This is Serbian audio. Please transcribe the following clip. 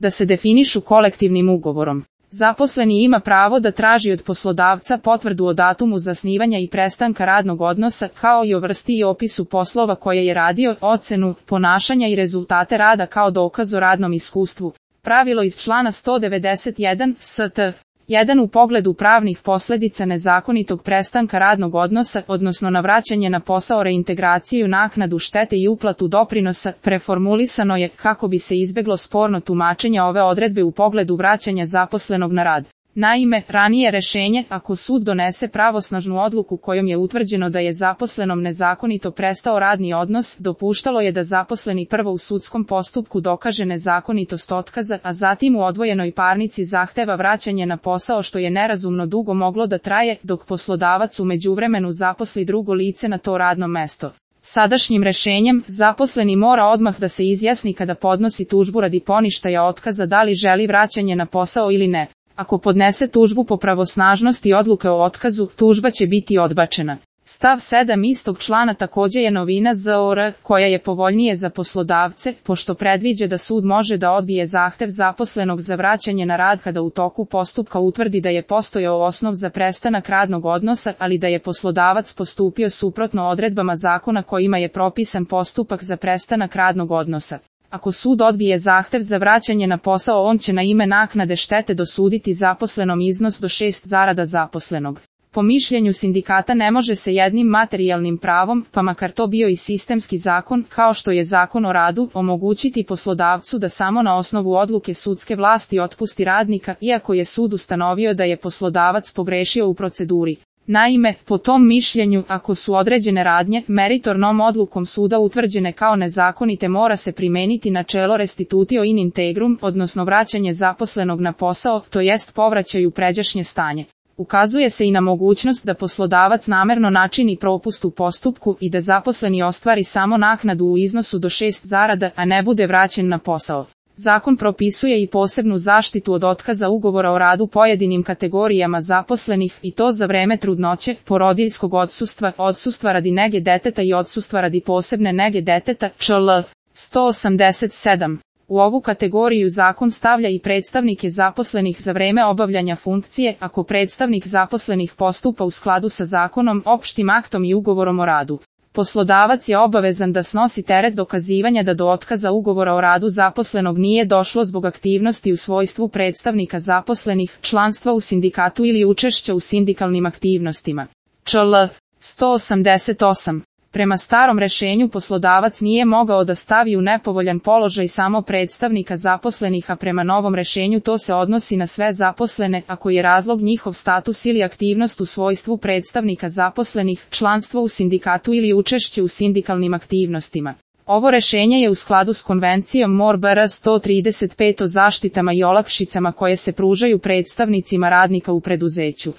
da se definišu kolektivnim ugovorom. Zaposleni ima pravo da traži od poslodavca potvrdu o datumu zasnivanja i prestanka radnog odnosa, kao i o vrsti i opisu poslova koje je radio, ocenu ponašanja i rezultate rada kao dokaz o radnom iskustvu. Pravilo iz člana 191 st. 1 u pogledu pravnih posljedica nezakonitog prestanka radnog odnosa, odnosno na vraćanje na posao, reintegraciju, naknadu štete i uplatu doprinosa, preformulisano je kako bi se izbjeglo sporno tumačenje ove odredbe u pogledu vraćanja zaposlenog na rad. Naime, ranije rješenje, ako sud donese pravosnažnu odluku kojom je utvrđeno da je zaposlenom nezakonito prestao radni odnos, dopuštalo je da zaposleni prvo u sudskom postupku dokaže nezakonitost otkaza, a zatim u odvojenoj parnici zahteva vraćanje na posao, što je nerazumno dugo moglo da traje, dok poslodavac u međuvremenu zaposli drugo lice na to radno mesto. Sadašnjim rješenjem, zaposleni mora odmah da se izjasni kada podnosi tužbu radi poništaja otkaza da li želi vraćanje na posao ili ne. Ako podnese tužbu po pravosnažnosti odluke o otkazu, tužba će biti odbačena. Stav 7 istog člana također je novina ZOR, koja je povoljnije za poslodavce, pošto predviđa da sud može da odbije zahtev zaposlenog za vraćanje na rad kada u toku postupka utvrdi da je postojao osnov za prestanak radnog odnosa, ali da je poslodavac postupio suprotno odredbama zakona kojima je propisan postupak za prestanak radnog odnosa. Ako sud odbije zahtev za vraćanje na posao, on će na ime naknade štete dosuditi zaposlenom iznos do 6 zarada zaposlenog. Po mišljenju sindikata ne može se jednim materijalnim pravom, pa makar to bio i sistemski zakon, kao što je Zakon o radu, omogućiti poslodavcu da samo na osnovu odluke sudske vlasti otpusti radnika, iako je sud ustanovio da je poslodavac pogrešio u proceduri. Naime, po tom mišljenju, ako su određene radnje meritornom odlukom suda utvrđene kao nezakonite, mora se primijeniti načelo restitutio in integrum, odnosno vraćanje zaposlenog na posao, to jest povraćaj u pređašnje stanje. Ukazuje se i na mogućnost da poslodavac namerno načini propust u postupku i da zaposleni ostvari samo naknadu u iznosu do 6 zarada, a ne bude vraćen na posao. Zakon propisuje i posebnu zaštitu od otkaza ugovora o radu pojedinim kategorijama zaposlenih, i to za vreme trudnoće, porodiljskog odsustva, odsustva radi nege deteta i odsustva radi posebne nege deteta, čl. 187. U ovu kategoriju zakon stavlja i predstavnike zaposlenih za vreme obavljanja funkcije, ako predstavnik zaposlenih postupa u skladu sa zakonom, opštim aktom i ugovorom o radu. Poslodavac je obavezan da snosi teret dokazivanja da do otkaza ugovora o radu zaposlenog nije došlo zbog aktivnosti u svojstvu predstavnika zaposlenih, članstva u sindikatu ili učešća u sindikalnim aktivnostima. čl. 188. Prema starom rješenju poslodavac nije mogao da stavi u nepovoljan položaj samo predstavnika zaposlenih, a prema novom rješenju to se odnosi na sve zaposlene, ako je razlog njihov status ili aktivnost u svojstvu predstavnika zaposlenih, članstvo u sindikatu ili učešće u sindikalnim aktivnostima. Ovo rješenje je u skladu s konvencijom MOR/BR 135 o zaštitama i olakšicama koje se pružaju predstavnicima radnika u preduzeću.